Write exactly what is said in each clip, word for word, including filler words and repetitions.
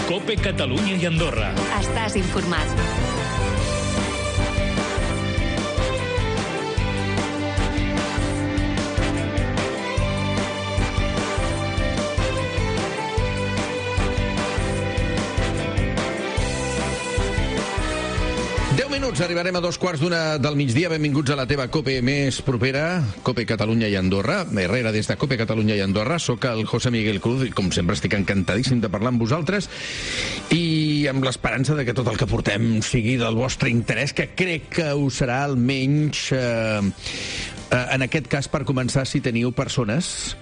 COPE Catalunya i Andorra. Estàs informat. deu minuts, arribarem a dos quarts d'una del migdia. Benvinguts a la teva COPE més propera, COPE Catalunya i Andorra. Herrera, des de COPE Catalunya i Andorra. Soc el José Miguel Cruz i, com sempre, estic encantadíssim de parlar amb vosaltres i amb l'esperança de que tot el que portem sigui del vostre interès, que crec que ho serà almenys, eh, eh, en aquest cas, per començar, si teniu persones,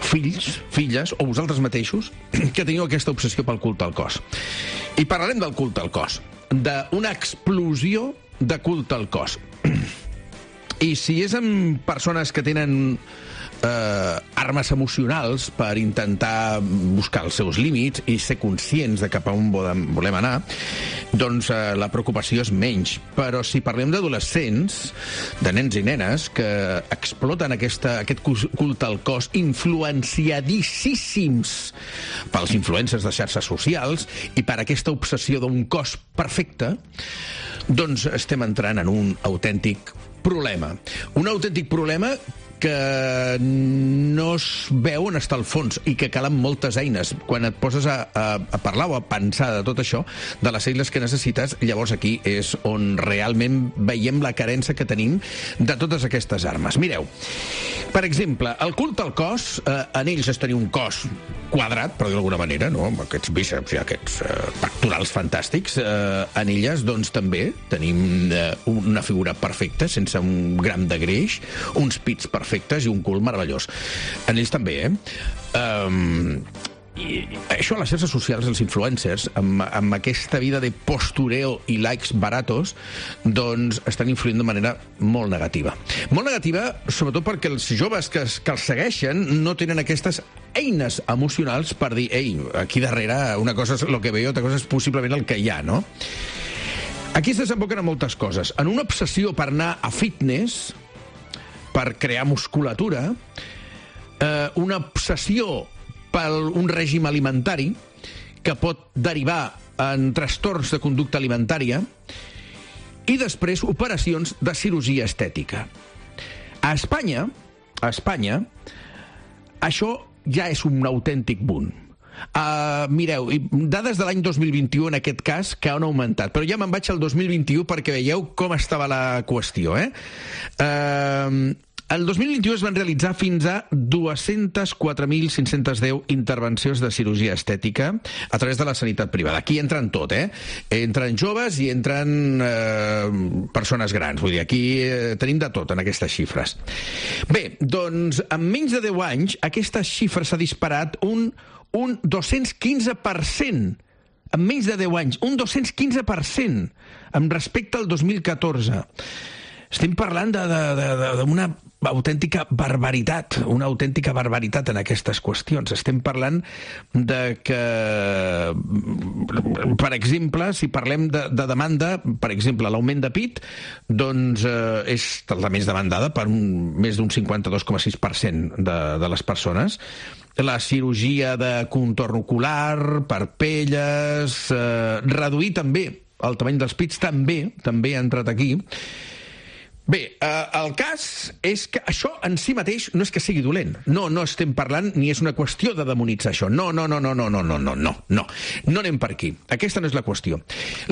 fills, filles, o vosaltres mateixos, que teniu aquesta obsessió pel culte al cos. I parlarem del culte al cos, d'una explosió de culte al cos. I si és amb persones que tenen eh, armes emocionals per intentar buscar els seus límits i ser conscients de cap a on volem anar, doncs eh, la preocupació és menys. Però si parlem d'adolescents, de nens i nenes que exploten aquesta, aquest culte al cos, influenciadíssims pels influencers de xarxes socials i per aquesta obsessió d'un cos perfecte, doncs estem entrant en un autèntic problema. Un autèntic problema que no es veu on està el fons i que calen moltes eines. Quan et poses a, a, a parlar o a pensar de tot això, de les eines que necessites, llavors aquí és on realment veiem la carència que tenim de totes aquestes armes. Mireu, per exemple, el culte al cos, eh, en ells és tenir un cos quadrat, per dir d'alguna manera, no? Amb aquests bíceps i aquests eh, pectorals fantàstics. Eh, en elles, doncs, també tenim eh, una figura perfecta, sense un gram de greix, uns pits perfectes i un cul meravellós. En ells també, eh? Um, i això a les xarxes socials, els influencers, amb, amb aquesta vida de postureo i likes baratos, doncs estan influint de manera molt negativa. Molt negativa, sobretot perquè els joves que, que els segueixen no tenen aquestes eines emocionals per dir, ei, aquí darrere una cosa és el que veo, altra cosa és possiblement el que hi ha, no? Aquí es desemboquen a moltes coses. En una obsessió per anar a fitness, per crear musculatura, eh, una obsessió per un règim alimentari que pot derivar en trastorns de conducta alimentària i després operacions de cirurgia estètica. A Espanya, a Espanya, això ja és un autèntic boom. Uh, mireu, dades de l'any dos mil vint-i-u en aquest cas que han augmentat, però ja me'n vaig al dos mil vint-i-u perquè veieu com estava la qüestió, eh? Uh, el dos mil vint-i-u es van realitzar fins a dos-cents quatre mil cinc-cents deu intervencions de cirurgia estètica a través de la sanitat privada. Aquí entren tot, eh? Entren joves i entren eh, persones grans. Vull dir, aquí eh, tenim de tot en aquestes xifres. Bé, doncs, en menys de deu anys, aquesta xifra s'ha disparat un, un dos-cents quinze per cent. En menys de deu anys, un dos-cents quinze per cent amb respecte al dos mil catorze. Estem parlant d'una autèntica barbaritat, una autèntica barbaritat en aquestes qüestions. Estem parlant de que, per exemple, si parlem de, de demanda, per exemple, l'augment de pit, doncs eh, és la més demandada per un, més d'un cinquanta-dos coma sis per cent de, de les persones. La cirurgia de contorn ocular, parpelles, eh, reduir també el tamany dels pits, també, també ha entrat aquí. Bé, eh, el cas és que això en si mateix no és que sigui dolent. No, no estem parlant ni és una qüestió de demonitzar això. No, no, no, no, no, no, no, no, no, no. No anem per aquí. Aquesta no és la qüestió.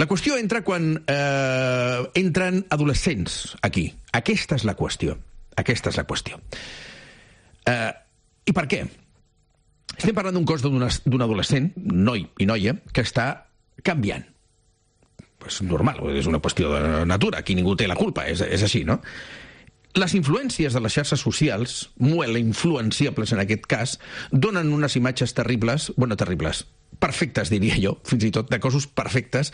La qüestió entra quan eh, entren adolescents aquí. Aquesta és la qüestió. Aquesta és la qüestió. Eh, I per què? Estem parlant d'un cos d'un adolescent, noi i noia, que està canviant. És normal, és una qüestió de natura, aquí ningú té la culpa, és, és així, no? Les influències de les xarxes socials, molt influenciables en aquest cas, donen unes imatges terribles, bueno, terribles, perfectes, diria jo, fins i tot, de cossos perfectes,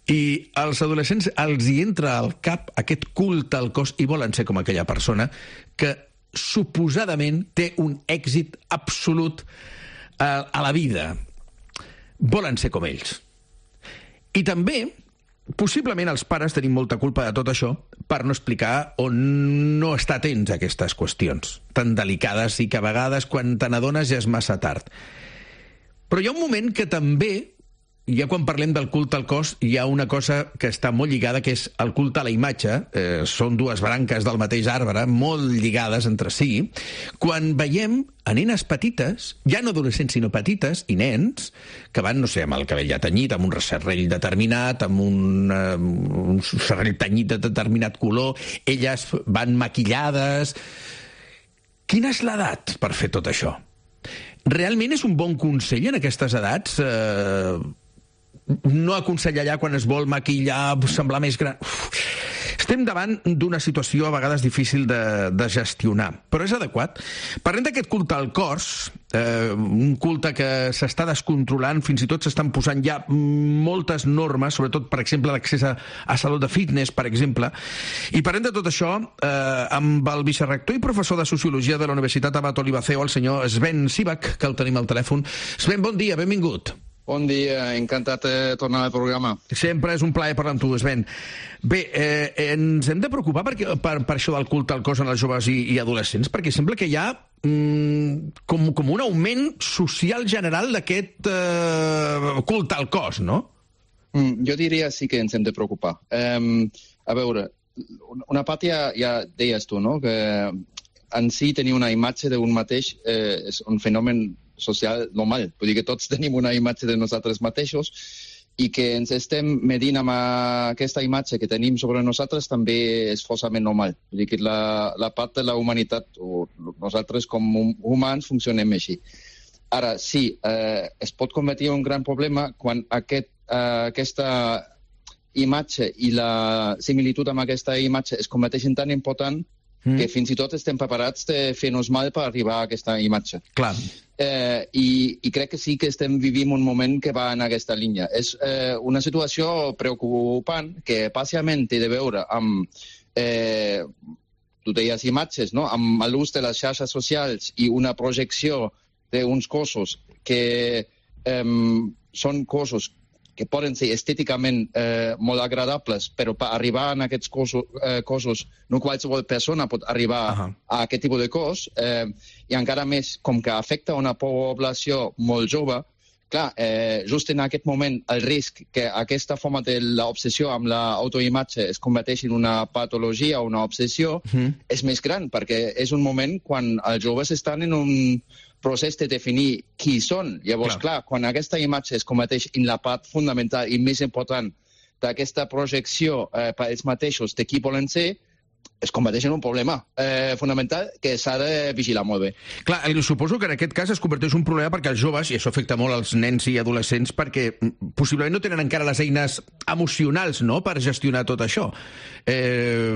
i als adolescents els hi entra al cap aquest culte al cos i volen ser com aquella persona que suposadament té un èxit absolut a, a la vida. Volen ser com ells. I també, possiblement els pares tenim molta culpa de tot això per no explicar o no estar atents a aquestes qüestions tan delicades i que a vegades quan te n'adones ja és massa tard. Però hi ha un moment que també ja quan parlem del culte al cos hi ha una cosa que està molt lligada, que és el culte a la imatge. Eh, són dues branques del mateix arbre, molt lligades entre si. Quan veiem a nenes petites, ja no adolescents sinó petites, i nens, que van, no sé, amb el cabell ja tenyit, amb un serrell determinat, amb un, uh, un serrell tenyit de determinat color, elles van maquillades... Quina és l'edat per fer tot això? Realment és un bon consell en aquestes edats? Eh, no aconsellar allà quan es vol maquillar, semblar més gran... Uf. Estem davant d'una situació a vegades difícil de, de gestionar, però és adequat. Parlem d'aquest culte al cos, eh, un culte que s'està descontrolant, fins i tot s'estan posant ja moltes normes, sobretot, per exemple, l'accés a, a saló de fitness, per exemple. I parlem de tot això eh, amb el vicerrector i professor de Sociologia de la Universitat Abat Olivaceo, el senyor Sven Sivak, que el tenim al telèfon. Sven, bon dia, benvingut. Bon dia, encantat de tornar al programa. Sempre és un plaer parlar amb tu, Sven. Bé, eh, ens hem de preocupar per, per, per això del culte al cos en els joves i, i adolescents, perquè sembla que hi ha mm, com, com un augment social general d'aquest eh, culte al cos, no? Mm, jo diria sí que ens hem de preocupar. Um, a veure, una part ja, ja deies tu, no?, que en si tenir una imatge d'un mateix eh, és un fenomen social normal. Vull dir que tots tenim una imatge de nosaltres mateixos i que ens estem medint amb aquesta imatge que tenim sobre nosaltres també és forçament normal. Vull dir que la, la part de la humanitat, o nosaltres com humans, funcionem així. Ara, sí, eh, es pot convertir en un gran problema quan aquest, eh, aquesta imatge i la similitud amb aquesta imatge es converteixen tan important mm. que fins i tot estem preparats de fer-nos mal per arribar a aquesta imatge. Clar. Eh, i, i crec que sí que estem vivint un moment que va en aquesta línia. És eh, una situació preocupant que parcialment té de veure amb, eh, tu deies imatges, no?, amb l'ús de les xarxes socials i una projecció d'uns cossos que eh, són cossos que poden ser estèticament eh, molt agradables, però per arribar a aquests cossos, eh, cossos no qualsevol persona pot arribar uh-huh. a aquest tipus de cos, eh, i encara més com que afecta una població molt jove. Clar, eh, just en aquest moment el risc que aquesta forma de l'obsessió amb l'autoimatge es converteixi en una patologia o una obsessió uh-huh. és més gran, perquè és un moment quan els joves estan en un procés de definir qui són. Llavors, clar, clar quan aquesta imatge es converteix en la part fundamental i més important d'aquesta projecció eh, per ells mateixos de qui volen ser, es converteix en un problema eh, fonamental que s'ha de vigilar molt bé. Clar, suposo que en aquest cas es converteix en un problema perquè els joves, i això afecta molt als nens i adolescents, perquè possiblement no tenen encara les eines emocionals, no?, per gestionar tot això. Eh,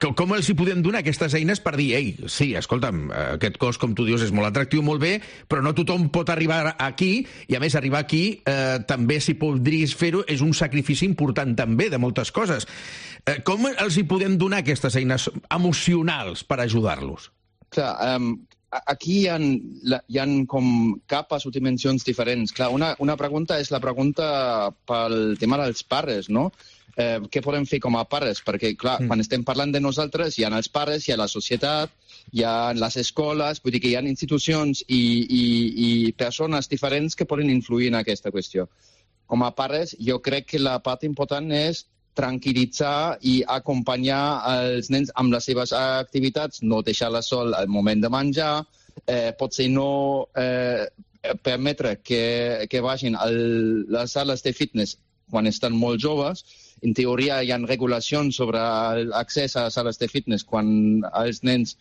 com els hi podem donar aquestes eines per dir, ei, sí, escolta'm, aquest cos, com tu dius, és molt atractiu, molt bé, però no tothom pot arribar aquí, i a més arribar aquí eh, també, si podries fer-ho, és un sacrifici important també de moltes coses. Eh, com els hi podem donar aquestes eines emocionals per ajudar-los? Clar, um, aquí hi ha, hi ha com capes o dimensions diferents. Clar, una, una pregunta és la pregunta pel tema dels pares, no? Eh, què podem fer com a pares? Perquè, clar, mm. quan estem parlant de nosaltres, hi ha els pares, hi ha la societat, hi ha les escoles, vull dir que hi ha institucions i, i, i persones diferents que poden influir en aquesta qüestió. Com a pares, jo crec que la part important és tranquil·litzar i acompanyar els nens amb les seves activitats, no deixar-la sol al moment de menjar, eh, potser no eh, permetre que, que vagin a les sales de fitness quan estan molt joves. En teoria hi ha regulacions sobre l'accés a sales de fitness quan els nens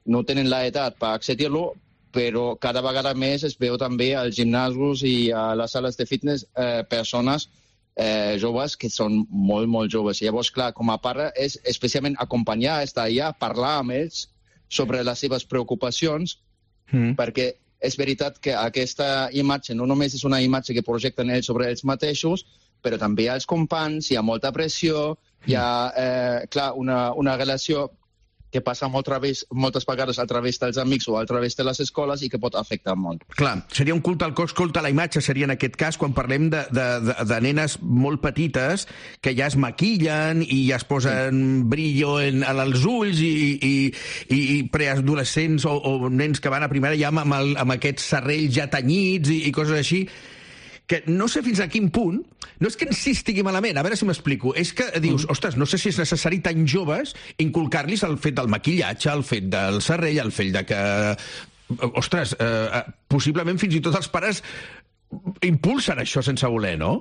no tenen l'edat per accedir-lo, però cada vegada més es veu també als gimnasos i a les sales de fitness eh, persones Eh, joves que són molt, molt joves. I llavors, clar, com a pare és especialment acompanyar, estar allà, parlar amb ells sobre les seves preocupacions, mm. perquè és veritat que aquesta imatge no només és una imatge que projecten ells sobre ells mateixos, però també als companys, hi ha molta pressió, hi ha, eh, clar, una, una relació que passa molt través, moltes vegades a través dels amics o a través de les escoles i que pot afectar molt. Clar, seria un culte al cos, culte a la imatge, seria en aquest cas quan parlem de, de, de, de nenes molt petites que ja es maquillen i ja es posen sí. brillo en, en els ulls i, i, i, i preadolescents o, o nens que van a primària ja amb, amb, el, amb aquests serrells ja tenyits i, i coses així. que no sé fins a quin punt, no és que ens sí estigui malament, a veure si m'explico, és que dius, mm. ostres, no sé si és necessari tan joves inculcar-los el fet del maquillatge, el fet del serrell, el fet de que... Ostres, eh, possiblement fins i tot els pares impulsen això sense voler, no?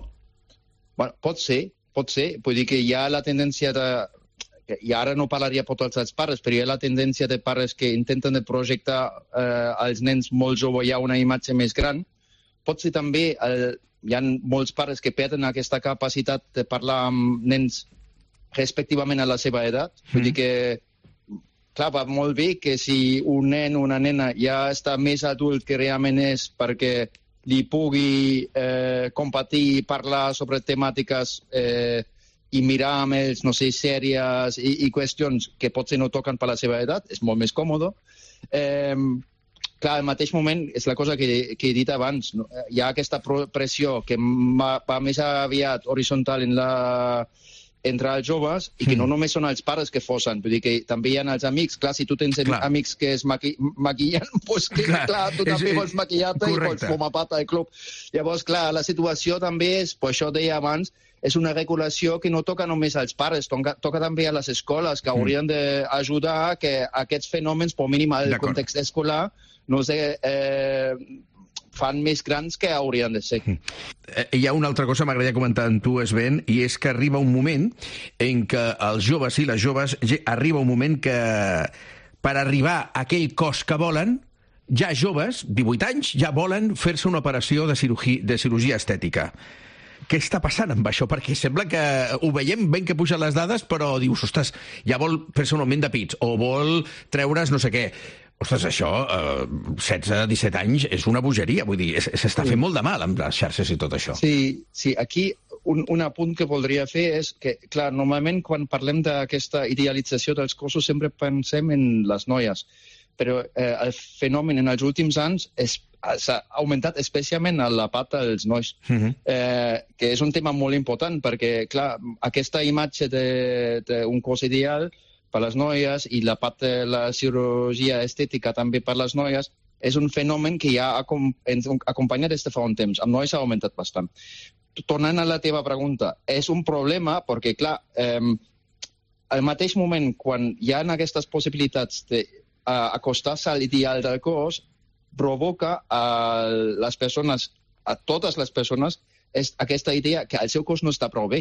Bueno, pot ser, pot ser. Vull dir que hi ha la tendència de... I ara no parlaria per tots els pares, però hi ha la tendència de pares que intenten de projectar eh, als nens molt joves ja una imatge més gran. Pot ser també, el, hi ha molts pares que perden aquesta capacitat de parlar amb nens respectivament a la seva edat. Mm. Vull dir que, clar, va molt bé que si un nen o una nena ja està més adult que realment és perquè li pugui eh, compartir i parlar sobre temàtiques eh, i mirar amb ells, no sé, sèries i, i qüestions que potser no toquen per la seva edat, és molt més còmode. Eh, clar, al mateix moment, és la cosa que, que he dit abans, no? Hi ha aquesta pressió que va, va més aviat horitzontal en la, entre els joves i que no només són els pares que forcen, vull dir que també hi ha els amics. Clar, si tu tens clar. amics que es maqui maquillen, doncs que, clar, clar tu és, també vols maquillar-te i vols formar part del club. Llavors, clar, la situació també és, per això deia abans, és una regulació que no toca només als pares, toca, toca també a les escoles, que haurien mm. d'ajudar a que aquests fenòmens, per mínim al context escolar, no sé, eh, fan més grans que haurien de ser. Hi ha una altra cosa que m'agradaria comentar amb tu, Sven, i és que arriba un moment en què els joves i les joves, arriba un moment que per arribar a aquell cos que volen, ja joves, divuit anys, ja volen fer-se una operació de cirurgia, de cirurgia estètica. Què està passant amb això? Perquè sembla que ho veiem ben que pugen les dades, però dius, ostres, ja vol fer-se un augment de pits, o vol treure's no sé què. Ostres, això, eh, setze disset anys, és una bogeria, vull dir, s'està fent molt de mal amb les xarxes i tot això. Sí, sí, aquí un, un apunt que voldria fer és que, clar, normalment quan parlem d'aquesta idealització dels cossos sempre pensem en les noies, però eh, el fenomen en els últims anys és s'ha augmentat especialment a la part dels nois, uh-huh. eh, que és un tema molt important, perquè, clar, aquesta imatge d'un cos ideal per les noies i la part de la cirurgia estètica també per les noies és un fenomen que ja ens acompanya des de fa un temps. Amb nois ha augmentat bastant. Tornant a la teva pregunta, és un problema perquè, clar, eh, al mateix moment, quan hi ha aquestes possibilitats d'acostar-se a l'ideal del cos, provoca a les persones, a totes les persones, és aquesta idea que el seu cos no està prou bé.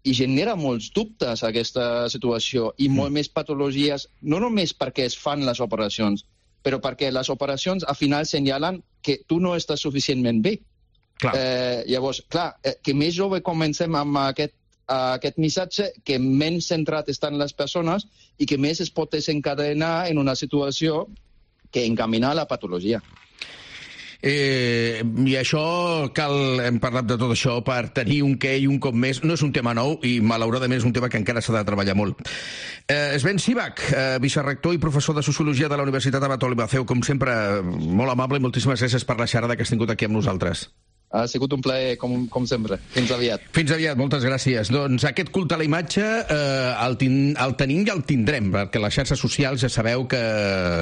I genera molts dubtes aquesta situació i molt mm. més patologies, no només perquè es fan les operacions, però perquè les operacions al final senyalen que tu no estàs suficientment bé. Clar. Eh, llavors, clar, eh, que més jove comencem amb aquest, aquest missatge, que menys centrat estan les persones i que més es pot desencadenar en una situació que encaminar la patologia. Eh, I això cal, hem parlat de tot això per tenir un què i un cop més. No és un tema nou i malauradament és un tema que encara s'ha de treballar molt. eh, Sven Sivak, eh, vicerrector i professor de Sociologia de la Universitat Abat Oliver Feu, com sempre, molt amable i moltíssimes gràcies per la xerrada que has tingut aquí amb nosaltres. Ha sigut un plaer, com, com sempre. Fins aviat. Fins aviat, moltes gràcies. Doncs aquest culte a la imatge eh, el, tin, el tenim i el tindrem, perquè les xarxes socials ja sabeu que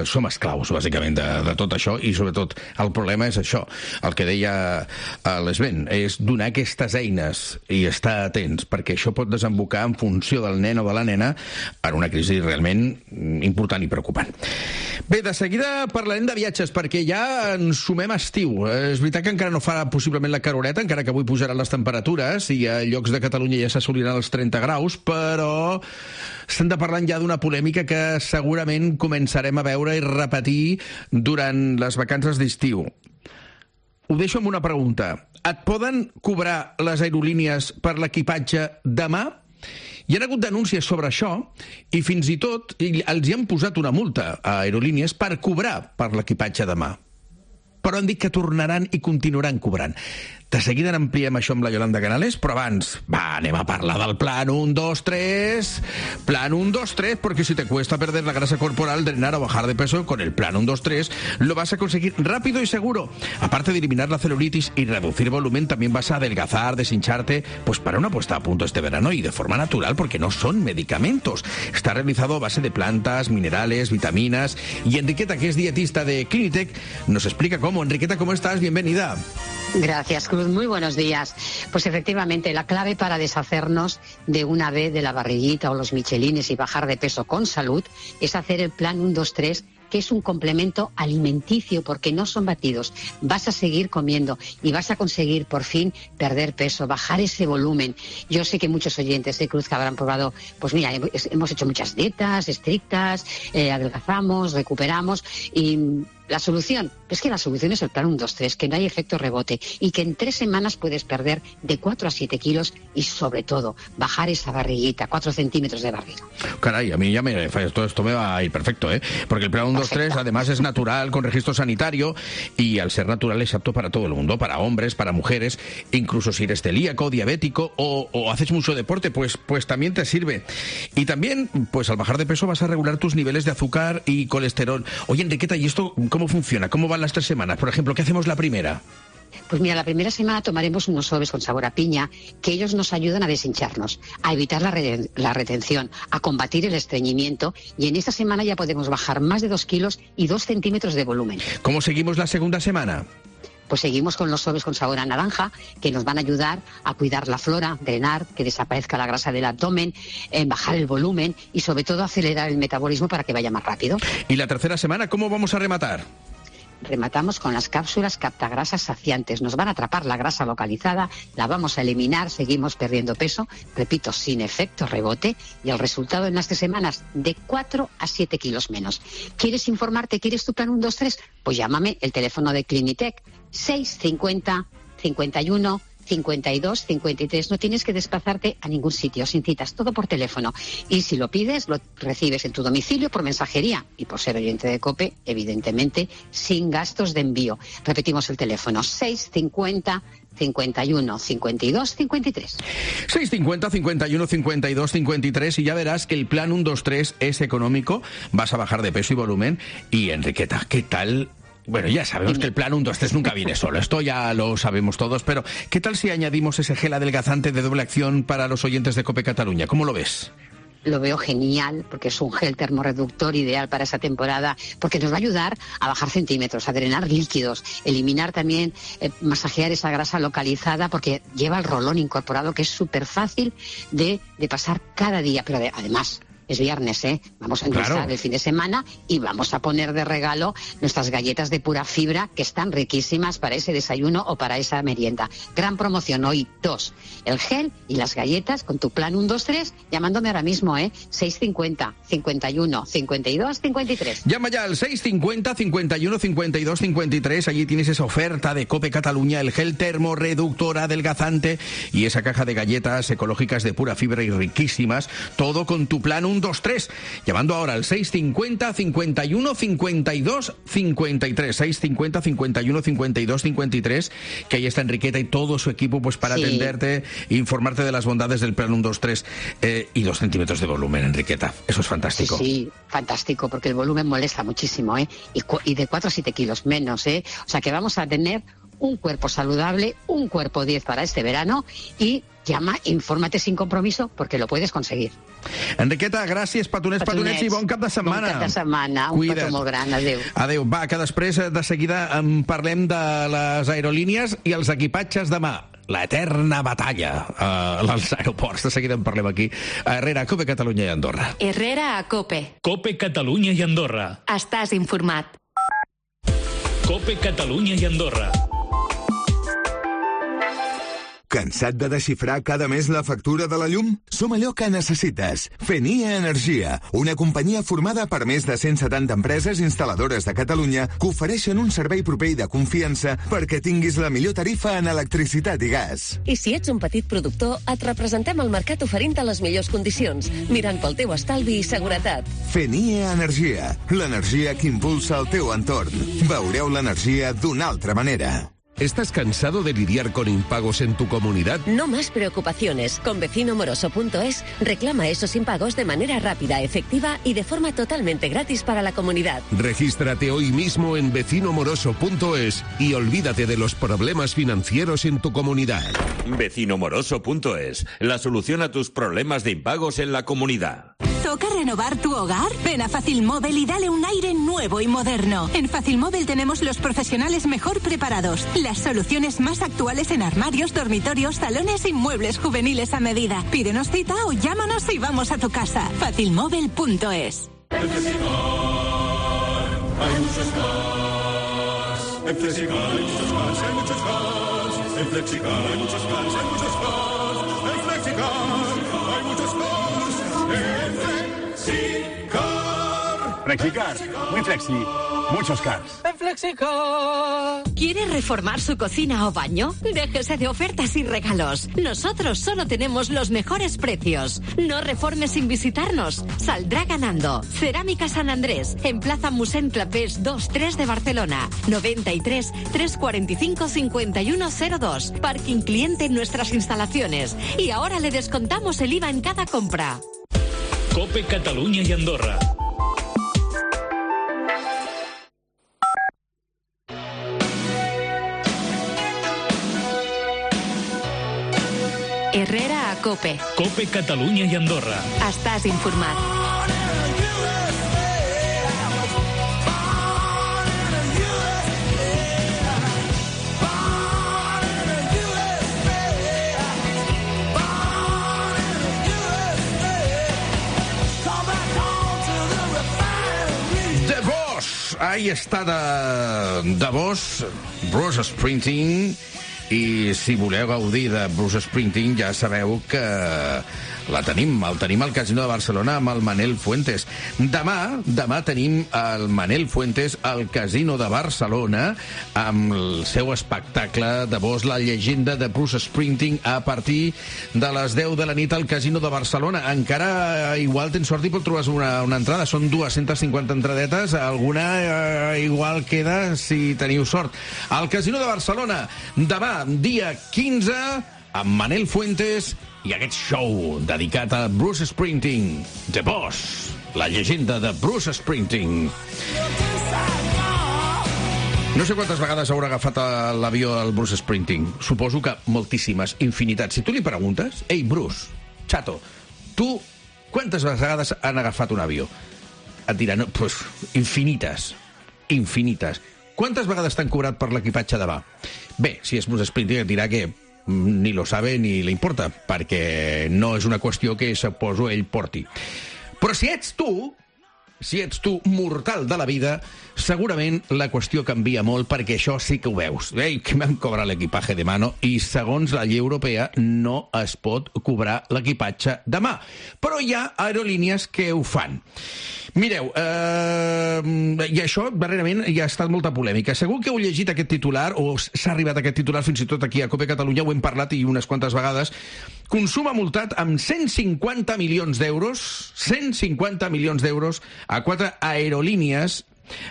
som esclaus, bàsicament, de, de tot això, i sobretot el problema és això, el que deia l'Sven, és donar aquestes eines i estar atents, perquè això pot desembocar en funció del nen o de la nena en una crisi realment important i preocupant. Bé, de seguida parlarem de viatges, perquè ja ens sumem a estiu. És veritat que encara no fa possible la caroreta, encara que avui pujaran les temperatures i a llocs de Catalunya ja s'assoliran els trenta graus, però estem de parlant ja d'una polèmica que segurament començarem a veure i repetir durant les vacances d'estiu. Ho deixo amb una pregunta. Et poden cobrar les aerolínies per l'equipatge demà? Hi ha hagut denúncies sobre això i fins i tot els hi han posat una multa a aerolínies per cobrar per l'equipatge demà. Però han dit que tornaran i continuaran cobrant. De seguida n'ampliem això amb la Yolanda Canales, però abans, va, anem a parlar del plan un, dos, tres. Plan un, dos, tres, porque si te cuesta perder la grasa corporal, drenar o bajar de peso, con el plan un, dos, tres lo vas a conseguir rápido y seguro. Aparte de eliminar la celulitis y reducir volumen, también vas a adelgazar, deshincharte, pues para una puesta a punto este verano y de forma natural, porque no son medicamentos. Está realizado a base de plantas, minerales, vitaminas. Y Enriqueta, que es dietista de Clinitec, nos explica cómo. Enriqueta, ¿cómo estás? Bienvenida. Gracias, Cruz. Muy buenos días. Pues efectivamente, la clave para deshacernos de una vez de la barriguita o los michelines y bajar de peso con salud es hacer el plan uno dos tres, que es un complemento alimenticio, porque no son batidos. Vas a seguir comiendo y vas a conseguir por fin perder peso, bajar ese volumen. Yo sé que muchos oyentes de Cruz que habrán probado, pues mira, hemos hecho muchas dietas estrictas, eh, adelgazamos, recuperamos y... La solución, es que la solución es el plan uno dos tres, que no hay efecto rebote y que en tres semanas puedes perder de cuatro a siete kilos y sobre todo bajar esa barriguita, cuatro centímetros de barriga. Caray, a mí ya me, todo esto me va a ir perfecto, ¿eh? Porque el plan uno dos tres además es natural, con registro sanitario y al ser natural es apto para todo el mundo, para hombres, para mujeres, incluso si eres celíaco, diabético o, o haces mucho deporte, pues, pues también te sirve. Y también, pues al bajar de peso vas a regular tus niveles de azúcar y colesterol. Oye, Enriqueta, ¿y esto cómo funciona? ¿Cómo van las tres semanas? Por ejemplo, ¿qué hacemos la primera? Pues mira, la primera semana tomaremos unos sobres con sabor a piña, que ellos nos ayudan a deshincharnos, a evitar la, re la retención, a combatir el estreñimiento, y en esta semana ya podemos bajar más de dos kilos y dos centímetros de volumen. ¿Cómo seguimos la segunda semana? Pues seguimos con los sobres con sabor a naranja, que nos van a ayudar a cuidar la flora, drenar, que desaparezca la grasa del abdomen, eh, bajar el volumen y sobre todo acelerar el metabolismo para que vaya más rápido. ¿Y la tercera semana cómo vamos a rematar? Rematamos con las cápsulas captagrasas saciantes. Nos van a atrapar la grasa localizada, la vamos a eliminar, seguimos perdiendo peso, repito, sin efecto rebote, y el resultado en las tres semanas de cuatro a siete kilos menos. ¿Quieres informarte? ¿Quieres tu plan uno dos tres? Pues llámame, el teléfono de Clinitec, seis cincuenta, cincuenta y uno, cincuenta y dos, cincuenta y tres. No tienes que desplazarte a ningún sitio, sin citas, todo por teléfono. Y si lo pides, lo recibes en tu domicilio por mensajería. Y por ser oyente de COPE, evidentemente, sin gastos de envío. Repetimos el teléfono, seis cincuenta, cincuenta y uno, cincuenta y dos, cincuenta y tres. seis cincuenta, cincuenta y uno, cincuenta y dos, cincuenta y tres, y ya verás que el plan uno dos tres es económico, vas a bajar de peso y volumen. Y Enriqueta, ¿qué tal? Bueno, ya sabemos que el plan uno dos tres nunca viene solo, esto ya lo sabemos todos, pero ¿qué tal si añadimos ese gel adelgazante de doble acción para los oyentes de COPE Cataluña? ¿Cómo lo ves? Lo veo genial, porque es un gel termorreductor ideal para esa temporada, porque nos va a ayudar a bajar centímetros, a drenar líquidos, eliminar también, eh, masajear esa grasa localizada, porque lleva el rolón incorporado, que es súper fácil de, de pasar cada día, pero de, además... Es viernes, ¿eh? Vamos a empezar claro. el fin de semana y vamos a poner de regalo nuestras galletas de pura fibra, que están riquísimas para ese desayuno o para esa merienda. Gran promoción hoy, dos. El gel y las galletas con tu plan uno dos tres, llamándome ahora mismo, ¿eh? seis cincuenta, cincuenta y uno, cincuenta y dos, cincuenta y tres. Llama ya al seis cincuenta, cincuenta y uno, cincuenta y dos, cincuenta y tres. Allí tienes esa oferta de COPE Cataluña, el gel termorreductor adelgazante y esa caja de galletas ecológicas de pura fibra y riquísimas. Todo con tu plan uno dos tres, llamando ahora al seis cincuenta, cincuenta y uno, cincuenta y dos, cincuenta y tres, seis cincuenta, cincuenta y uno, cincuenta y dos, cincuenta y tres, que ahí está Enriqueta y todo su equipo pues para sí. atenderte e informarte de las bondades del plan uno dos tres, eh, y dos centímetros de volumen, Enriqueta. Eso es fantástico. Sí, sí, fantástico, porque el volumen molesta muchísimo, ¿eh? Y, y de cuatro a siete kilos menos, ¿eh? O sea que vamos a tener un cuerpo saludable, un cuerpo diez para este verano, y llama, infórmate sin compromiso, perquè lo puedes conseguir. Enriqueta, gràcies, petonets, petonets, i bon cap de setmana. Bon cap de setmana, un petó molt gran, adéu. Adéu, va, que després de seguida en parlem de les aerolínies i els equipatges demà. La eterna batalla uh, als aeroports. De seguida en parlem aquí. A Herrera, a COPE Catalunya i Andorra. Herrera a COPE. COPE Catalunya i Andorra. Estàs informat. COPE Catalunya i Andorra. Cansat de desxifrar cada mes la factura de la llum? Som allò que necessites. Fenia Energia, una companyia formada per més de cent setanta empreses instal·ladores de Catalunya que ofereixen un servei proper i de confiança perquè tinguis la millor tarifa en electricitat i gas. I si ets un petit productor, et representem al mercat oferint-te les millors condicions, mirant pel teu estalvi i seguretat. Fenia Energia, l'energia que impulsa el teu entorn. Veureu l'energia d'una altra manera. ¿Estás cansado de lidiar con impagos en tu comunidad? No más preocupaciones. Con vecino moroso punto es reclama esos impagos de manera rápida, efectiva y de forma totalmente gratis para la comunidad. Regístrate hoy mismo en vecino moroso punto es y olvídate de los problemas financieros en tu comunidad. vecino moroso punto es, la solución a tus problemas de impagos en la comunidad. toca renovar tu hogar? Ven a Fácil Móvil y dale un aire nuevo y moderno. En Fácil Móvil tenemos los profesionales mejor preparados, las soluciones más actuales en armarios, dormitorios, salones y muebles juveniles a medida. Pídenos cita o llámanos y vamos a tu casa. fácil móvil punto es. En Flexicar hay muchos cars. En Flexicar hay muchos cars, hay muchos cars. En Flexicar hay muchos cars, hay muchos cars. En Flexicar hay muchos cars. En Flexicar. Flexicar, muy flexi, muchos cars. En Flexicar. ¿Quiere reformar su cocina o baño? Déjese de ofertas y regalos. Nosotros solo tenemos los mejores precios. No reforme sin visitarnos. Saldrá ganando. Cerámica San Andrés, en Plaza Musén Clapés dos tres de Barcelona. noventa y tres, trescientos cuarenta y cinco, cincuenta y uno cero dos. Parking cliente en nuestras instalaciones. Y ahora le descontamos el I V A en cada compra. Cope Catalunya i Andorra. Herrera a Cope. Cope Catalunya i Andorra. Estàs informat. The Boss! Ahí està de, de Boss, Bruce Springsteen. I si voleu gaudir de Bruce Springsteen, ja sabeu que la tenim, el tenim al Casino de Barcelona amb el Manel Fuentes. Demà, demà tenim el Manel Fuentes al Casino de Barcelona amb el seu espectacle de Boss, la llegenda de Bruce Springsteen, a partir de les deu de la nit al Casino de Barcelona. Encara, igual tens sort i pot trobar una, una entrada. Són dues-centes cinquanta entradetes. Alguna eh, igual queda si teniu sort. Al Casino de Barcelona, demà, dia quinze, amb Manel Fuentes i aquest show dedicat a Bruce Springsteen, The Boss, la llegenda de Bruce Springsteen. No sé quantes vegades haurà agafat l'avió el Bruce Springsteen. Suposo que moltíssimes, infinitats. Si tu li preguntes, ei, Bruce, xato, tu quantes vegades han agafat un avió? Et dirà, no, pues, infinites, infinites. Quantes vegades t'han cobrat per l'equipatge de va? Bé, si és Bruce Springsteen et dirà que ni lo sabe ni le importa, perquè no és una qüestió que, suposo, ell porti. Però si ets tu, si ets tu mortal de la vida, segurament la qüestió canvia molt, perquè això sí que ho veus. Ei, que m'han cobrat l'equipatge de mano, i segons la llei europea no es pot cobrar l'equipatge de mà. Però hi ha aerolínies que ho fan. Mireu, eh, i això darrerament hi ha estat molta polèmica. Segur que heu llegit aquest titular, o s'ha arribat a aquest titular fins i tot aquí a Cope Catalunya, ho hem parlat i unes quantes vegades. Consum ha multat amb cent cinquanta milions d'euros, cent cinquanta milions d'euros a quatre aerolínies,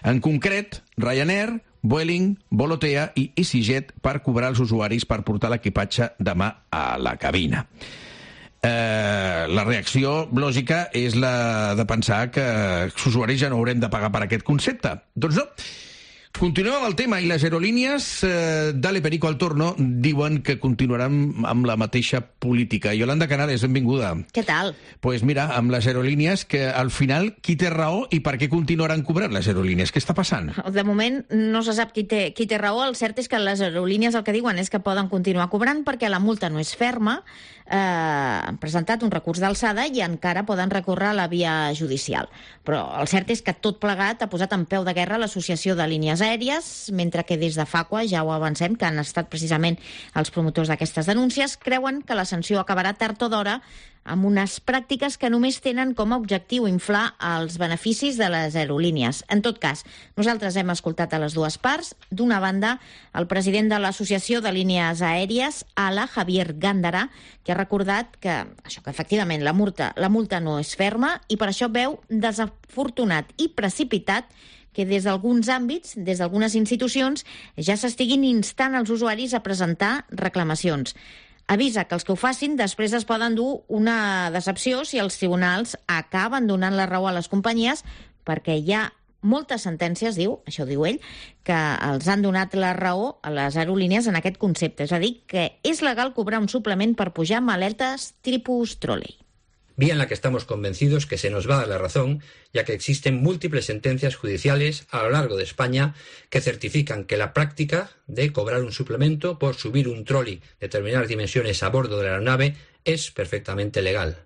en concret Ryanair, Vueling, Volotea i EasyJet, per cobrar els usuaris per portar l'equipatge de mà a la cabina. Eh, la reacció lògica és la de pensar que els usuaris ja no haurem de pagar per aquest concepte. Doncs no. Continuem amb el tema, i les aerolínies, eh, dale perico al torno, diuen que continuaran amb la mateixa política. Yolanda Canales, benvinguda. Què tal? Pues mira, amb les aerolínies, que al final qui té raó i per què continuaran cobrant les aerolínies? Què està passant? De moment no se sap qui té, qui té raó. El cert és que les aerolínies el que diuen és que poden continuar cobrant perquè la multa no és ferma. Eh, han presentat un recurs d'alçada i encara poden recórrer a la via judicial. Però el cert és que tot plegat ha posat en peu de guerra l'Associació de Línies Aèries, mentre que des de FACUA, ja ho avancem, que han estat precisament els promotors d'aquestes denúncies, creuen que la sanció acabarà tard o d'hora amb unes pràctiques que només tenen com a objectiu inflar els beneficis de les aerolínies. En tot cas, nosaltres hem escoltat a les dues parts. D'una banda, el president de l'Associació de Línies Aèries, A L A, Javier Gándara, que ha recordat que, això, que efectivament la multa, la multa no és ferma i per això veu desafortunat i precipitat que des d'alguns àmbits, des d'algunes institucions, ja s'estiguin instant els usuaris a presentar reclamacions. Avisa que els que ho facin després es poden dur una decepció si els tribunals acaben donant la raó a les companyies, perquè hi ha moltes sentències, diu, això diu ell, que els han donat la raó a les aerolínies en aquest concepte. És a dir, que és legal cobrar un suplement per pujar maletes tipus trolei. vía en la que estamos convencidos que se nos va a dar la razón, ya que existen múltiples sentencias judiciales a lo largo de España que certifican que la práctica de cobrar un suplemento por subir un trolley de determinadas dimensiones a bordo de la aeronave es perfectamente legal.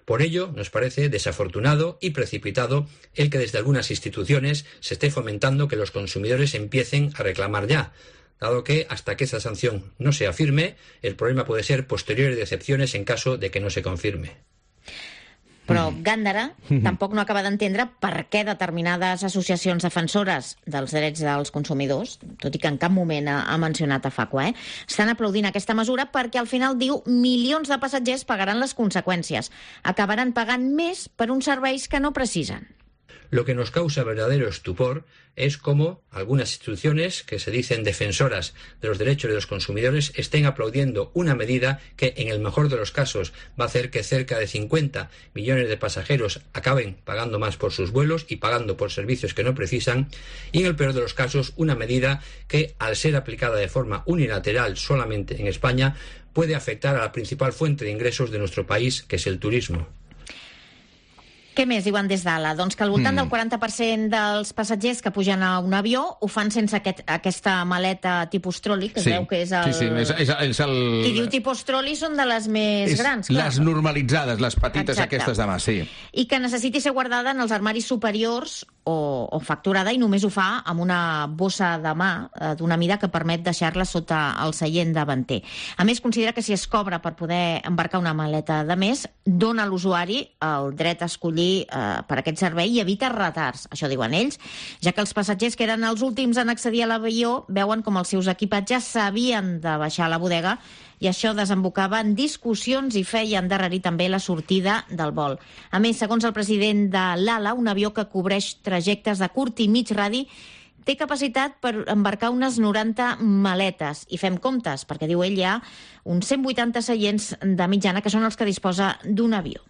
Por ello, nos parece desafortunado y precipitado el que desde algunas instituciones se esté fomentando que los consumidores empiecen a reclamar ya, dado que hasta que esa sanción no sea firme, el problema puede ser posteriores decepciones en caso de que no se confirme. Però Gándara tampoc no acaba d'entendre per què determinades associacions defensores dels drets dels consumidors, tot i que en cap moment ha, ha mencionat a Facua, eh, estan aplaudint aquesta mesura perquè al final diu milions de passatgers pagaran les conseqüències. Acabaran pagant més per uns serveis que no precisen. Lo que nos causa verdadero estupor es cómo algunas instituciones que se dicen defensoras de los derechos de los consumidores estén aplaudiendo una medida que, en el mejor de los casos, va a hacer que cerca de cincuenta millones de pasajeros acaben pagando más por sus vuelos y pagando por servicios que no precisan, y en el peor de los casos, una medida que, al ser aplicada de forma unilateral solamente en España, puede afectar a la principal fuente de ingresos de nuestro país, que es el turismo. Què més diuen des d'Ala? Doncs que al voltant mm. del quaranta per cent dels passatgers que pugen a un avió ho fan sense aquest, aquesta maleta tipus troli, que sí. es veu que és el... Sí, sí, és, és, és el... Qui diu tipus troli són de les més és grans, clar. Les normalitzades, les petites Exacte. Aquestes de mà, sí. I que necessiti ser guardada en els armaris superiors o, o facturada, i només ho fa amb una bossa de mà eh, d'una mida que permet deixar-la sota el seient davanter. A més, considera que si es cobra per poder embarcar una maleta de més, dona a l'usuari el dret a escollir eh, per aquest servei i evita retards, això diuen ells, ja que els passatgers que eren els últims en accedir a l'avió veuen com els seus equipatges s'havien de baixar a la bodega i això desembocava en discussions i feia endarrerir també la sortida del vol. A més, segons el president de l'Ala, un avió que cobreix trajectes de curt i mig radi té capacitat per embarcar unes noranta maletes. I fem comptes, perquè diu ell hi ha uns cent vuitanta seients de mitjana que són els que disposa d'un avió.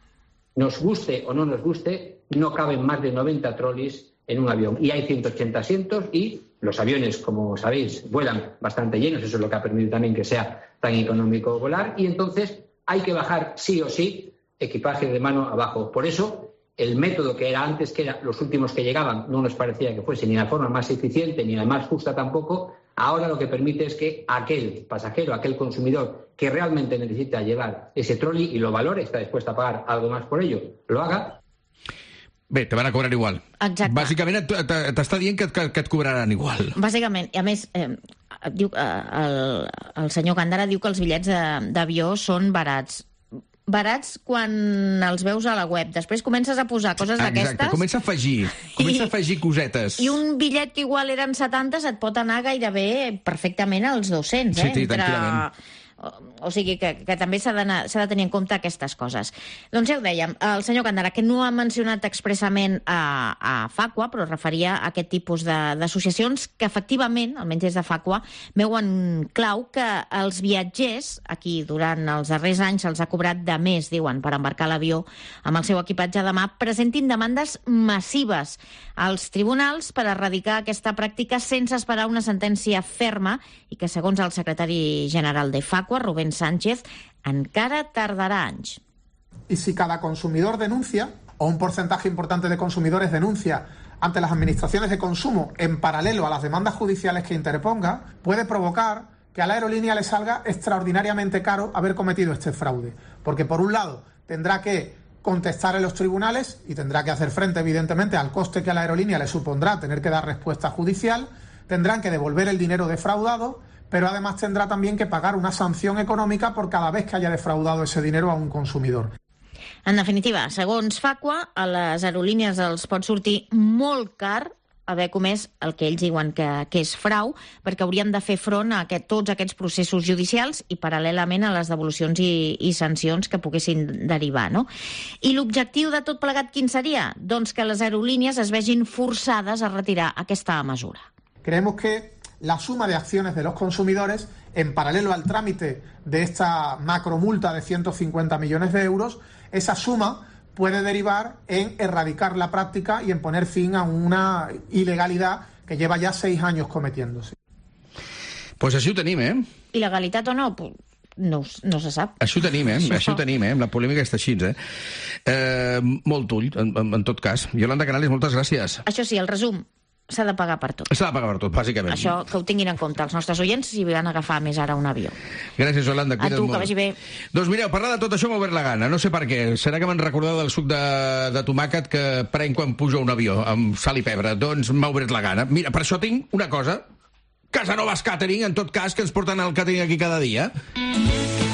Nos guste o no nos guste, no caben más de noventa trolleys en un avión. Y hay ciento ochenta asientos y los aviones, como sabéis, vuelan bastante llenos. Eso es lo que ha permitido también que sea tan económico volar. Y entonces hay que bajar sí o sí equipaje de mano abajo. Por eso, el método que era antes, que eran los últimos que llegaban, no nos parecía que fuese ni la forma más eficiente ni la más justa tampoco. Ahora lo que permite es que aquel pasajero, aquel consumidor que realmente necesita llevar ese trolley y lo valore, está dispuesto a pagar algo más por ello, lo haga. Bé, te van a cobrar igual. Exacte. Bàsicament t'està dient que, que, que et cobraran igual. Bàsicament, i a més, eh, diu, eh, el, el senyor Gándara diu que els bitllets d'avió són barats. Barats quan els veus a la web. Després comences a posar coses d'aquestes... Exacte, comença a afegir, comença a afegir cosetes. I un bitllet que igual eren setanta et pot anar gairebé perfectament als dos-cents, eh? Sí, sí, tranquil·lament. O sigui que, que també s'ha de, s'ha de tenir en compte aquestes coses. Doncs ja ho dèiem, el senyor Gándara, que no ha mencionat expressament a, a Facua, però es referia a aquest tipus d'associacions que efectivament, almenys des de Facua, veuen clau que els viatgers, aquí durant els darrers anys se'ls ha cobrat de més, diuen, per embarcar l'avió amb el seu equipatge de mà, presentin demandes massives als tribunals per erradicar aquesta pràctica sense esperar una sentència ferma i que, segons el secretari general de Facua, Rubén Sánchez, encara tardarà anys. Y si cada consumidor denuncia, o un porcentaje importante de consumidores denuncia ante las administraciones de consumo en paralelo a las demandas judiciales que interponga, puede provocar que a la aerolínea le salga extraordinariamente caro haber cometido este fraude. Porque, por un lado, tendrá que contestar en los tribunales y tendrá que hacer frente, evidentemente, al coste que a la aerolínea le supondrá tener que dar respuesta judicial, tendrán que devolver el dinero defraudado, pero además tendrá también que pagar una sanción econòmica por cada vez que haya defraudado ese dinero a un consumidor. En definitiva, segons Facua, a les aerolínies els pot sortir molt car haver comès el que ells diuen que, que és frau, perquè haurien de fer front a aquest, tots aquests processos judicials i paral·lelament a les devolucions i, i sancions que poguessin derivar, no? I l'objectiu de tot plegat quin seria? Doncs que les aerolínies es vegin forçades a retirar aquesta mesura. Creemos que la suma de acciones de los consumidores, en paralelo al trámite de esta macromulta de ciento cincuenta millones de euros, esa suma puede derivar en erradicar la práctica y en poner fin a una ilegalidad que lleva ya seis años cometiéndose. Pues així ho tenim, eh? Il·legalitat o no? no, no se sap. Això ho tenim, eh? Això, Això ho tenim, eh? La polèmica està així, eh? eh molt ull, en, en tot cas. Yolanda Canales, moltes gràcies. Això sí, el resum, s'ha de pagar per tot. S'ha de pagar per tot, bàsicament. Això que ho tinguin en compte els nostres oients si van agafar més ara un avió. Gràcies, Yolanda. A tu, molt. Que vagi bé. Doncs mireu, parlar de tot això m'ha obert la gana. No sé per què. Serà que m'han recordat del suc de, de tomàquet que prenc quan pujo a un avió, amb sal i pebre. Doncs m'ha obert la gana. Mira, per això tinc una cosa. Casanovas Catering, en tot cas, que ens porten el catering aquí cada dia.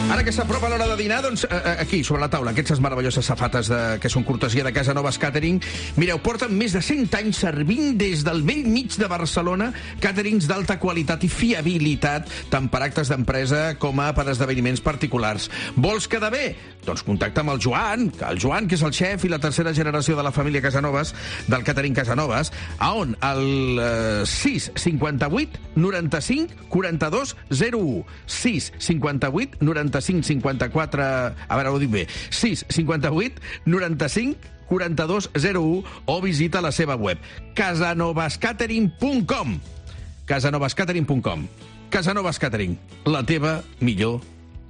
Ara que s'apropa l'hora de dinar, doncs aquí, sobre la taula, aquestes meravelloses safates de, que són cortesia de Casanovas Catering. Mireu, porten més de cent anys servint des del vell mig de Barcelona caterings d'alta qualitat i fiabilitat, tant per actes d'empresa com a per esdeveniments particulars. Vols quedar bé? Doncs contacta amb el Joan, el Joan, que és el xef i la tercera generació de la família Casanovas, del catering Casanovas, a on? El eh, sis cinquanta-vuit noranta-cinc quaranta-dos zero u. sis cinquanta-vuit noranta-cinc cinquanta-quatre... A veure, ho dic bé. sis cinquanta-vuit noranta-cinc quaranta-dos zero u o visita la seva web casanovas catering punt com. casanovas catering punt com. Casanovas Catering, la teva millor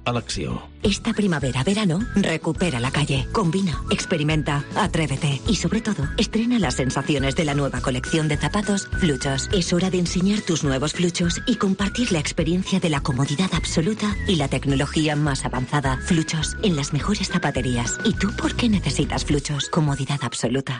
elecció. Esta primavera, verano, recupera la calle, combina, experimenta, atrévete y sobre todo, estrena las sensaciones de la nueva colección de zapatos Fluchos. Es hora de enseñar tus nuevos Fluchos y compartir la experiencia de la comodidad absoluta y la tecnología más avanzada. Fluchos, en las mejores zapaterías. ¿Y tú por qué necesitas Fluchos? Comodidad absoluta.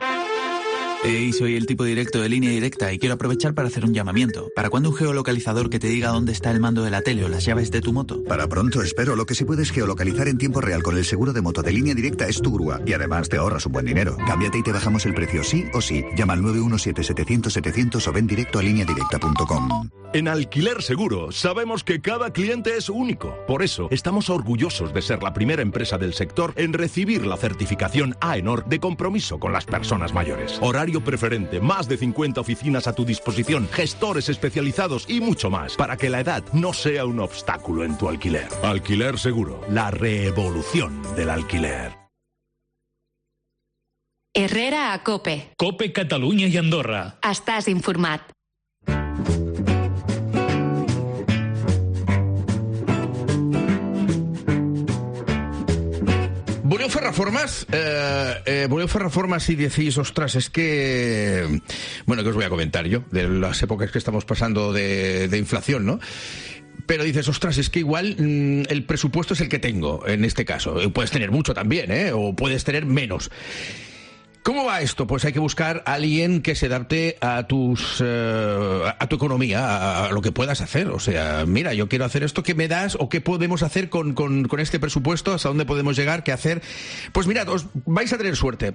Hey, soy el tipo directo de Línea Directa y quiero aprovechar para hacer un llamamiento. ¿Para cuándo un geolocalizador que te diga dónde está el mando de la tele o las llaves de tu moto? Para pronto, espero. Lo que sí puedes geolocalizar en tiempo real con el seguro de moto de Línea Directa es tu grúa. Y además te ahorras un buen dinero. Cámbiate y te bajamos el precio sí o sí. Llama al nueve uno siete setecientos setecientos o ven directo a línea directa punto com. En Alquiler Seguro sabemos que cada cliente es único. Por eso estamos orgullosos de ser la primera empresa del sector en recibir la certificación AENOR de compromiso con las personas mayores. Horario preferente, más de cincuenta oficinas a tu disposición, gestores especializados y mucho más, para que la edad no sea un obstáculo en tu alquiler. Alquiler Seguro, la revolución del alquiler. Herrera a Cope. Cope Catalunya i Andorra. Estàs informat. ¿Voleu fer reformas? Eh, eh, ¿Voleu fer reformas y decís, ostras, es que... Bueno, ¿qué os voy a comentar yo? De las épocas que estamos pasando de, de inflación, ¿no? Pero dices, ostras, es que igual mmm, el presupuesto es el que tengo, en este caso. Puedes tener mucho también, ¿eh? O puedes tener menos. ¿Cómo va esto? Pues hay que buscar a alguien que se adapte a tus eh, a tu economía, a, a lo que puedas hacer. O sea, mira, yo quiero hacer esto, ¿qué me das? ¿O qué podemos hacer con, con, con este presupuesto? ¿Hasta dónde podemos llegar? ¿Qué hacer? Pues mirad, os vais a tener suerte.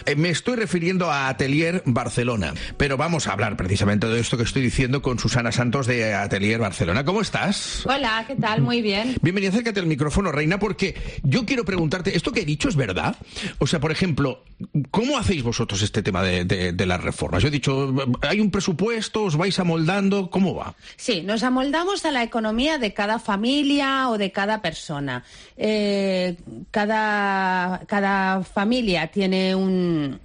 Eh, me estoy refiriendo a Atelier Barcelona. Pero vamos a hablar precisamente de esto que estoy diciendo con Susana Santos de Atelier Barcelona. ¿Cómo estás? Hola, ¿qué tal? Muy bien. Bienvenida, acércate al micrófono, Reina, porque yo quiero preguntarte, ¿esto que he dicho es verdad? O sea, por ejemplo, ¿cómo hacéis vosotros este tema de, de, de las reformas? Yo he dicho, hay un presupuesto, os vais amoldando, ¿cómo va? Sí, nos amoldamos a la economía de cada familia o de cada persona. Eh, cada, cada familia tiene un...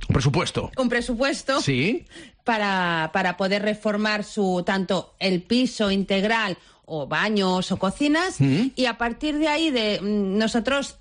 Un presupuesto. Un presupuesto. Sí. Para, para poder reformar su tanto el piso integral o baños o cocinas. Mm. Y a partir de ahí, de nosotros...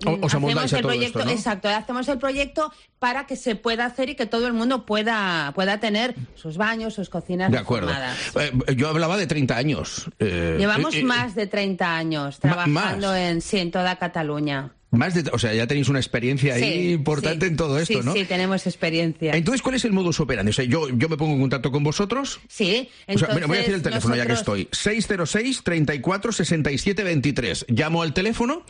Os hacemos el todo proyecto, esto, ¿no? Exacto, hacemos el proyecto para que se pueda hacer y que todo el mundo pueda pueda tener sus baños, sus cocinas de acuerdo. Eh, yo hablaba de treinta años. Eh, Llevamos eh, más de treinta años trabajando en, sí, en toda Cataluña. Más de, o sea, ya tenéis una experiencia ahí sí, importante sí, en todo esto, sí, ¿no? Sí, tenemos experiencia. Entonces, ¿cuál es el modus operandi? O sea, yo, yo me pongo en contacto con vosotros. Sí, entonces... O sea, mira, voy a decir el teléfono nosotros... ya que estoy. seis cero seis, treinta y cuatro, sesenta y siete veintitrés. Llamo al teléfono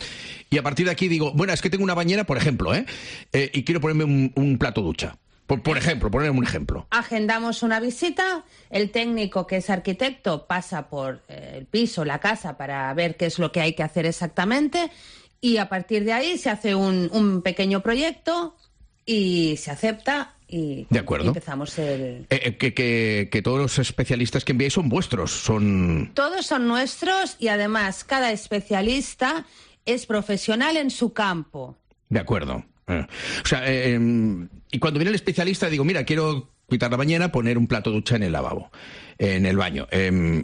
y a partir de aquí digo, bueno, es que tengo una bañera, por ejemplo, ¿eh? eh y quiero ponerme un, un plato ducha. Por, por ejemplo, ponerme un ejemplo. Agendamos una visita, el técnico que es arquitecto pasa por eh, el piso, la casa, para ver qué es lo que hay que hacer exactamente. Y a partir de ahí se hace un, un pequeño proyecto y se acepta y, de acuerdo. y empezamos el... Eh, que, que, que todos los especialistas que enviáis son vuestros, son... Todos son nuestros y además cada especialista es profesional en su campo. De acuerdo. Eh. O sea, eh, y cuando viene el especialista digo, mira, quiero quitar la bañera, poner un plato ducha en el lavabo, en el baño. Eh,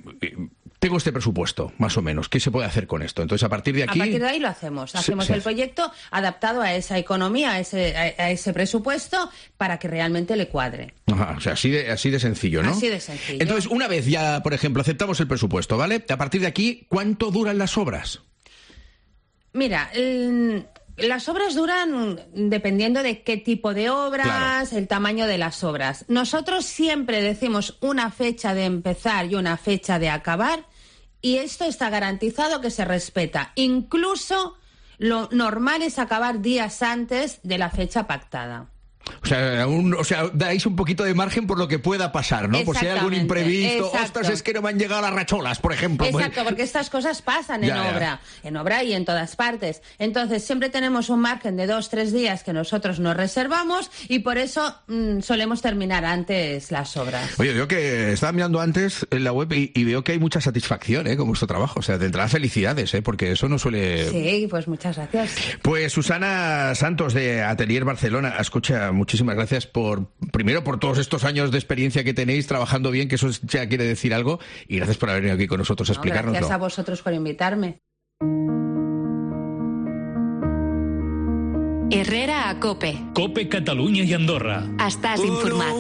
tengo este presupuesto, más o menos, ¿qué se puede hacer con esto? Entonces, a partir de aquí... A partir de ahí lo hacemos. Hacemos sí, el sí. proyecto adaptado a esa economía, a ese, a, a ese presupuesto, para que realmente le cuadre. Ajá, o sea, así de, así de sencillo, ¿no? Así de sencillo. Entonces, una vez ya, por ejemplo, aceptamos el presupuesto, ¿vale? A partir de aquí, ¿cuánto duran las obras? Mira, el... las obras duran dependiendo de qué tipo de obras, claro. el tamaño de las obras. Nosotros siempre decimos una fecha de empezar y una fecha de acabar, y esto está garantizado que se respeta. Incluso lo normal es acabar días antes de la fecha pactada. O sea, un, o sea, dais un poquito de margen por lo que pueda pasar, ¿no? Por si hay algún imprevisto. Exacto. Ostras, es que no me han llegado las racholas, por ejemplo. Exacto, porque estas cosas pasan en ya, obra, ya. en obra y en todas partes. Entonces, siempre tenemos un margen de dos, tres días que nosotros nos reservamos y por eso mmm, solemos terminar antes las obras. Oye, veo que estaba mirando antes en la web y, y veo que hay mucha satisfacción, ¿eh? Con vuestro trabajo. O sea, de entrada felicidades, ¿eh? Porque eso no suele... Sí, pues muchas gracias. Pues Susana Santos de Atelier Barcelona, escucha, muchísimas gracias por, primero por todos estos años de experiencia que tenéis trabajando bien, que eso ya quiere decir algo, y gracias por haber venido aquí con nosotros a no, explicárnoslo. Gracias a vosotros por invitarme. Herrera a Cope. Cope Catalunya i Andorra. Estàs informat.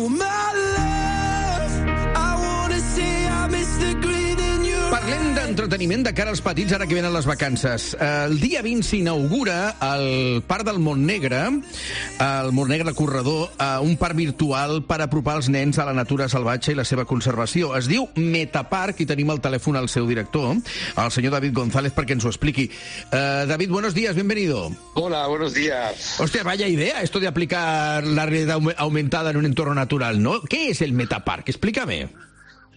Parlem d'entreteniment de cara als petits ara que venen les vacances. El dia vint s'inaugura al Parc del Montnegre, al Montnegre Corredor, un parc virtual per apropar els nens a la natura salvatge i la seva conservació. Es diu Metaparc i tenim al telèfon el seu director, el senyor David González, perquè ens ho expliqui. Uh, David, buenos días, bienvenido. Hola, buenos días. Hostia, vaya idea esto de aplicar la realidad aumentada en un entorno natural, ¿no? ¿Qué es el Metaparc? Explícame.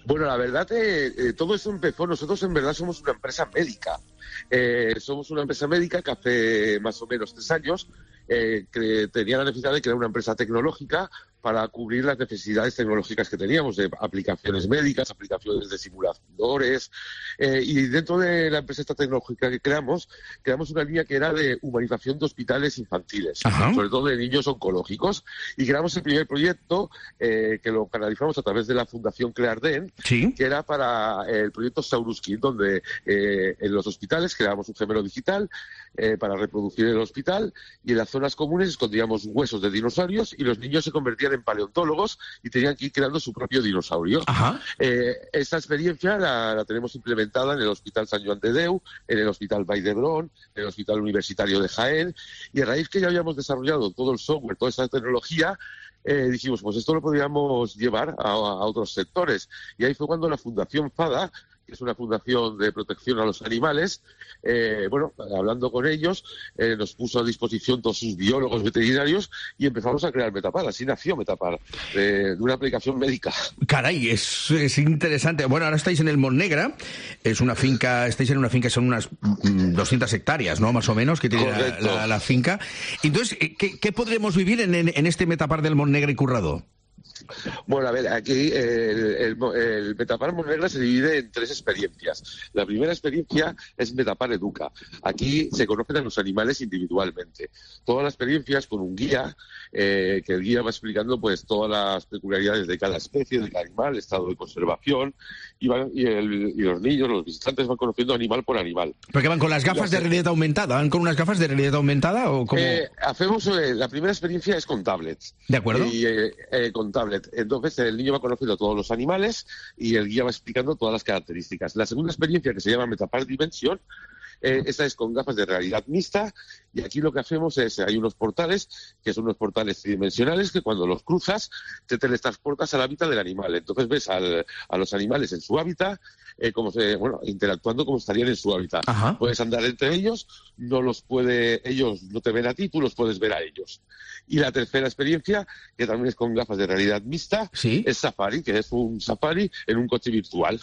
Bueno, la verdad, eh, eh, todo eso empezó, nosotros en verdad somos una empresa médica. Eh, somos una empresa médica que hace más o menos tres años eh, que tenía la necesidad de crear una empresa tecnológica para cubrir las necesidades tecnológicas que teníamos, de aplicaciones médicas, aplicaciones de simuladores, eh, y dentro de la empresa esta tecnológica que creamos, creamos una línea que era de humanización de hospitales infantiles, Ajá. sobre todo de niños oncológicos, y creamos el primer proyecto eh, que lo canalizamos a través de la Fundación Clearden, ¿Sí? que era para el proyecto Sauruskin, donde eh, en los hospitales creábamos un gemelo digital eh, para reproducir el hospital, y en las zonas comunes escondíamos huesos de dinosaurios y los niños se convertían en paleontólogos y tenían que ir creando su propio dinosaurio. Eh, esta experiencia la, la tenemos implementada en el Hospital Sant Joan de Déu, en el Hospital Vall d'Hebron, en el Hospital Universitario de Jaén, y a raíz que ya habíamos desarrollado todo el software, toda esta tecnología, eh, dijimos, pues esto lo podríamos llevar a, a otros sectores. Y ahí fue cuando la Fundación FADA, que es una fundación de protección a los animales, eh, bueno, hablando con ellos, eh, nos puso a disposición todos sus biólogos veterinarios y empezamos a crear Metapar. Así nació Metapar, de, de una aplicación médica. Caray, es, es interesante. Bueno, ahora estáis en el Montnegre, es una finca, estáis en una finca, son unas doscientas hectáreas, ¿no? Más o menos, que tiene la, la, la finca. Entonces, ¿qué, qué podremos vivir en, en, en este Metapar del Montnegre y Currado? Bueno, a ver, aquí el, el, el Metapar Montnegre se divide en tres experiencias. La primera experiencia es Metapar Educa. Aquí se conocen a los animales individualmente. Toda la experiencia es con un guía, eh, que el guía va explicando pues todas las peculiaridades de cada especie, de cada animal, estado de conservación, y, van, y, el, y los niños, los visitantes van conociendo animal por animal. ¿Pero que van con las gafas de realidad aumentada? ¿Van con unas gafas de realidad aumentada o cómo? Eh, hacemos, eh, la primera experiencia es con tablets. ¿De acuerdo? Y, eh, eh, con tablets. Entonces el niño va conociendo todos los animales y el guía va explicando todas las características. La segunda experiencia, que se llama Metapar Dimensión, eh, esta es con gafas de realidad mixta, y aquí lo que hacemos es, hay unos portales, que son unos portales tridimensionales, que cuando los cruzas te teletransportas al hábitat del animal. Entonces ves al, a los animales en su hábitat, eh, como se, bueno, interactuando como estarían en su hábitat. Ajá. Puedes andar entre ellos, no los puede, ellos no te ven a ti, tú los puedes ver a ellos. Y la tercera experiencia, que también es con gafas de realidad mixta, ¿Sí? es Safari, que es un safari en un coche virtual.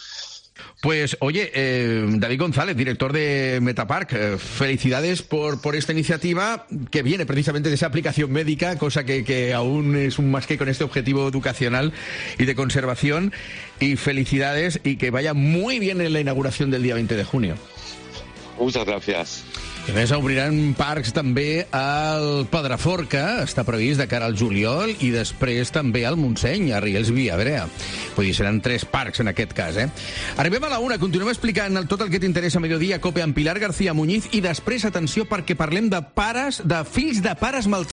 Pues, oye, eh, David González, director de Metaparc, eh, felicidades por, por esta iniciativa que viene precisamente de esa aplicación médica, cosa que, que aún es un más que con este objetivo educacional y de conservación. Y felicidades y que vaya muy bien en la inauguración del día veinte de junio. Muchas gracias. I a més, obriran parcs també al Pedraforca, està previst de cara al juliol, i després també al Montseny, a Riells Via Brea. Vull dir, seran tres parcs en aquest cas, eh? Arribem a la una, continuem explicant tot el que t'interessa a Mediodía Cope amb Pilar García Muñiz, i després, atenció, perquè parlem de pares, de fills de pares maltractats.